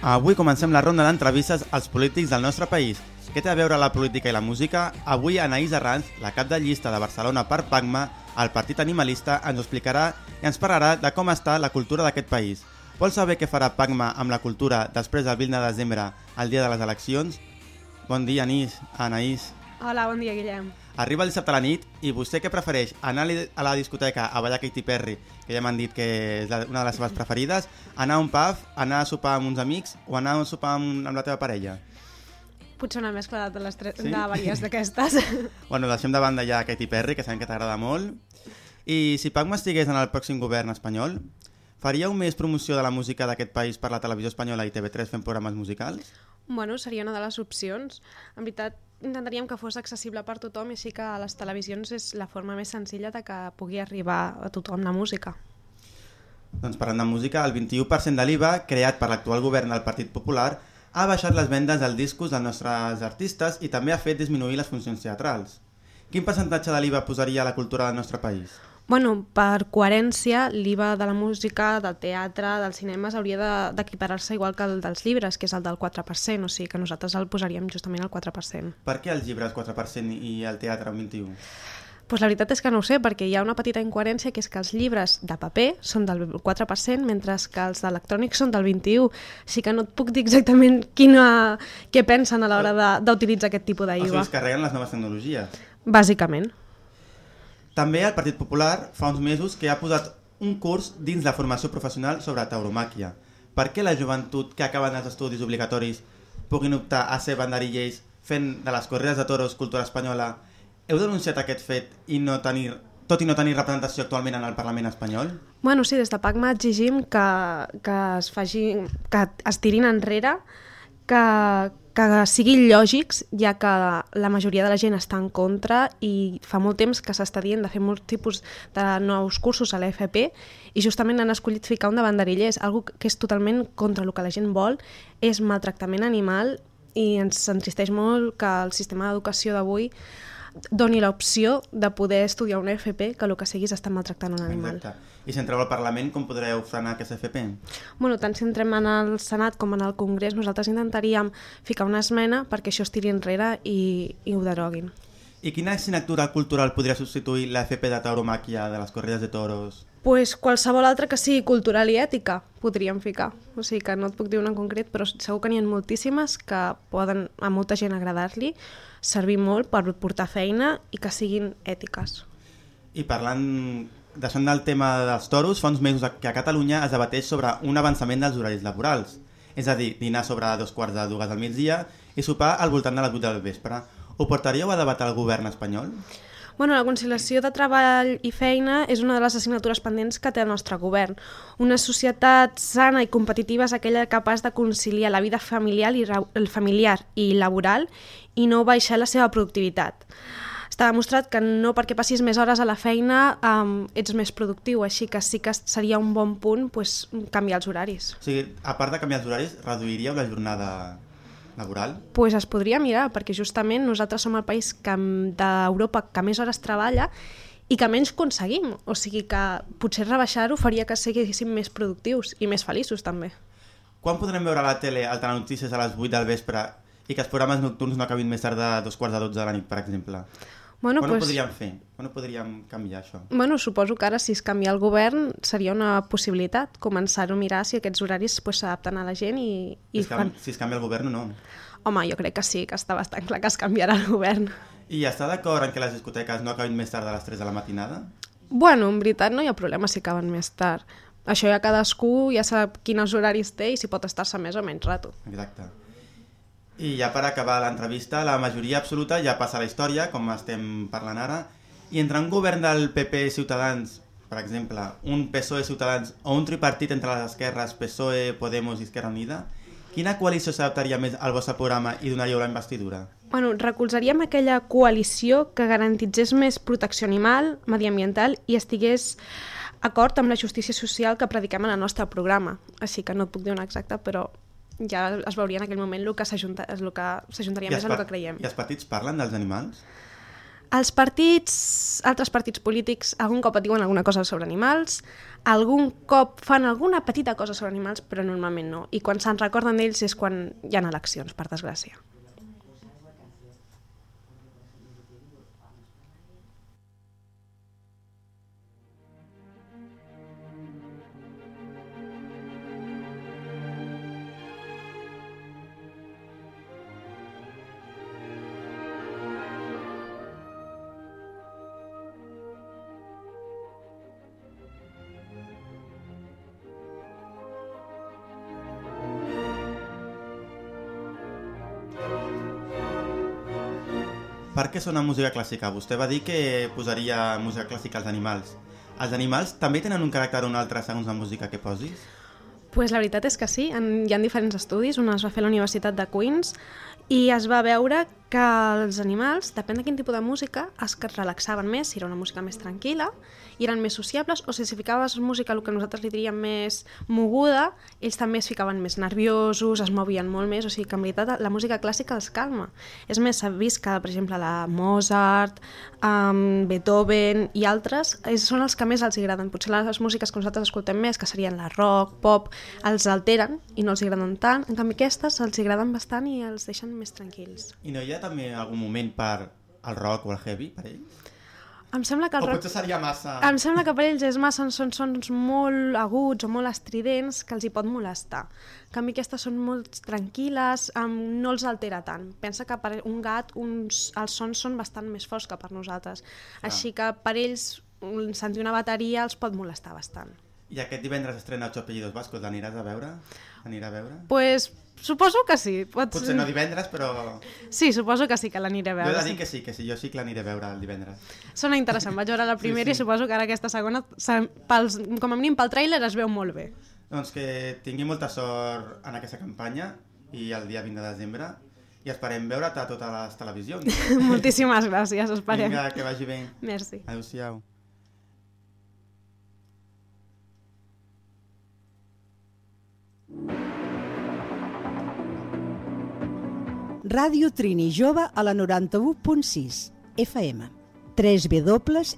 Avui comencem la ronda d'entrevistes als polítics del nostre país. Què té a veure la política i la música? Avui Anaïs Arranz, la cap de llista de Barcelona per PACMA, el partit animalista, ens ho explicarà i ens parlarà de com està la cultura d'aquest país. Vol saber què farà PACMA amb la cultura després del 20 de desembre, el dia de les eleccions? Bon dia, Anaïs. Hola, bon dia, Guillem. Arriba el dissabte a la nit i vostè què prefereix? Anar a la discoteca a ballar Katy Perry, que ja m'han dit que és una de les seves preferides, anar a un pub, anar a sopar amb uns amics o anar a sopar amb la teva parella? Potser una mescla de les tres, sí? De varies d'aquestes. Bueno, deixem de banda ja Katy Perry, que sabem que t'agrada molt. I si PACMA estigués en el pròxim govern espanyol, faríeu més promoció de la música d'aquest país per la televisió espanyola i TV3 fent programes musicals? Bueno, seria una de les opcions. En veritat, intentaríem que fos accessible per tothom i així que a les televisions és la forma més senzilla de que pugui arribar a tothom la música. Doncs parlant de música, el 21% de l'IVA, creat per l'actual govern del Partit Popular, ha baixat les vendes dels discos dels nostres artistes i també ha fet disminuir les funcions teatrals. Quin percentatge de l'IVA posaria a la cultura del nostre país? Bueno, per coherència, l'IVA de la música, del teatre, dels cinemes hauria d'equiparar-se igual que el dels llibres, que és el del 4%, o sigui que nosaltres el posaríem justament al 4%. Per què els llibres 4% i el teatre un 21%? Pues la veritat és que no ho sé, perquè hi ha una petita incoherència que és que els llibres de paper són del 4%, mentre que els d'electrònics són del 21%. Així que no et puc dir exactament què pensen a l'hora d'utilitzar aquest tipus d'IVA. O sigui, es carreguen les noves tecnologies. Bàsicament. També el Partit Popular fa uns mesos que ha posat un curs dins la formació professional sobre tauromàquia. Per què la joventut que acaben els estudis obligatoris puguin optar a ser banderillers fent de les corrides de toros cultura espanyola? Heu denunciat aquest fet tot i no tenir representació actualment en el Parlament espanyol? Bueno, sí, des de PACMA exigim que es tirin enrere, que siguin lògics, ja que la majoria de la gent està en contra i fa molt temps que s'està dient de fer molts tipus de nous cursos a l'EFP i justament han escollit ficar un de banderillers, algo que és totalment contra el que la gent vol, és maltractament animal i ens entristeix molt que el sistema d'educació d'avui doni l'opció de poder estudiar una FP que el que sigui és estar maltractant un animal. Exacte. I si entreu al Parlament, com podreu frenar aquesta FP? Bueno, tant si entrem en el Senat com en el Congrés, nosaltres intentaríem ficar una esmena perquè això es tiri enrere i ho deroguin. I quina assignatura cultural podria substituir la FP de tauromàquia de les corrides de toros? Pues qualsevol altra que sigui cultural i ètica podríem ficar. O sigui que no et puc dir una en concret, però segur que n'hi ha moltíssimes que poden a molta gent agradar-li, servir molt per portar feina i que siguin ètiques. I parlant, deixant del tema dels toros, fa uns mesos que a Catalunya es debateix sobre un avançament dels horaris laborals. És a dir, dinar sobre 2:45 del migdia i sopar al voltant de les 8 del vespre. Ho portaríeu a debat al govern espanyol? Bueno, la conciliació de treball i feina és una de les assignatures pendents que té el nostre govern. Una societat sana i competitiva és aquella capaç de conciliar la vida familiar i laboral i no baixar la seva productivitat. Està demostrat que no perquè passis més hores a la feina ets més productiu, així que sí que seria un bon punt canviar els horaris. O sigui, a part de canviar els horaris, reduiríeu la jornada laboral? Pues es podria mirar, perquè justament nosaltres som el país d'Europa que més hores treballa i que menys aconseguim. O sigui que potser rebaixar-ho faria que siguéssim més productius i més feliços també. Quan podrem veure a la tele el telenotícies a les 8 del vespre i que els programes nocturns no acabin més tard de 2:45 de la nit, per exemple? Bueno, Quan ho podríem fer? Quan ho podríem canviar, això? Bueno, suposo que ara, si es canvia el govern, seria una possibilitat començar a mirar si aquests horaris s'adapten a la gent i fan... Si es canvia el govern o no? Home, jo crec que sí, que està bastant clar que es canviarà el govern. I està d'acord en que les discoteques no acabin més tard de les 3 de la matinada? Bueno, en veritat no hi ha problema si acaben més tard. Això ja cadascú ja sap quins horaris té i si pot estar-se més o menys rato. Exacte. I ja per acabar l'entrevista, la majoria absoluta ja passa a la història, com estem parlant ara, i entre un govern del PP Ciutadans, per exemple, un PSOE Ciutadans o un tripartit entre les esquerres PSOE, Podemos i Esquerra Unida, quina coalició s'adaptaria més al vostre programa i donaríeu la investidura? Bueno, recolzaríem aquella coalició que garantitzés més protecció animal, mediambiental i estigués acord amb la justícia social que prediquem en el nostre programa. Així que no et puc dir una exacta, però ja es veuria en aquell moment el que s'ajuntaria més a el que creiem. I els partits parlen dels animals? Altres partits polítics algun cop et diuen alguna cosa sobre animals, algun cop fan alguna petita cosa sobre animals, però normalment no. I quan se'n recorden d'ells és quan hi ha eleccions, per desgràcia. Per què sona música clàssica? Vostè va dir que posaria música clàssica als animals. Els animals també tenen un caràcter o un altre segons la música que posis? Pues la veritat és que sí, hi ha diferents estudis, un es va fer a la Universitat de Queens i es va veure que els animals, depèn de quin tipus de música, es relaxaven més, si era una música més tranquil·la, i eren més sociables, o si ficaves música, el que nosaltres li diríem més moguda, ells també es ficaven més nerviosos, es movien molt més, o sigui que en veritat la música clàssica els calma. És més, s'ha vist que, per exemple, la Mozart, Beethoven i altres són els que més els agraden. Potser les músiques que nosaltres escoltem més, que serien la rock, pop, els alteren i no els agraden tant, en canvi aquestes els agraden bastant i els deixen més tranquils. I no hi ha també algun moment per el rock o el heavy per ells? Em sembla que el rock... potser seria massa... Em sembla que per ells és massa, són sons molt aguts o molt estridents que els hi pot molestar. En canvi, aquestes són molt tranquil·les, no els altera tant. Pensa que per un gat els sons són bastant més forts que per nosaltres. Així que per ells sentir una bateria els pot molestar bastant. I aquest divendres estrena Ocho apellidos vascos, l'aniràs a veure? L'anirà a veure? Pues suposo que sí. Potser no divendres, però... Sí, suposo que sí que l'aniré a veure. Jo he de dir que sí, jo sí que l'aniré a veure el divendres. Sona interessant, vaig veure la primera i suposo que ara aquesta segona, com a mínim pel tràiler, es veu molt bé. Doncs que tingui molta sort en aquesta campanya i el dia 20 de desembre i esperem veure't a totes les televisions. Moltíssimes gràcies, esperem. Vinga, que vagi bé. Merci. Adéu-siau. Ràdio Trini Jove a la 91.6 FM www.rtb.cat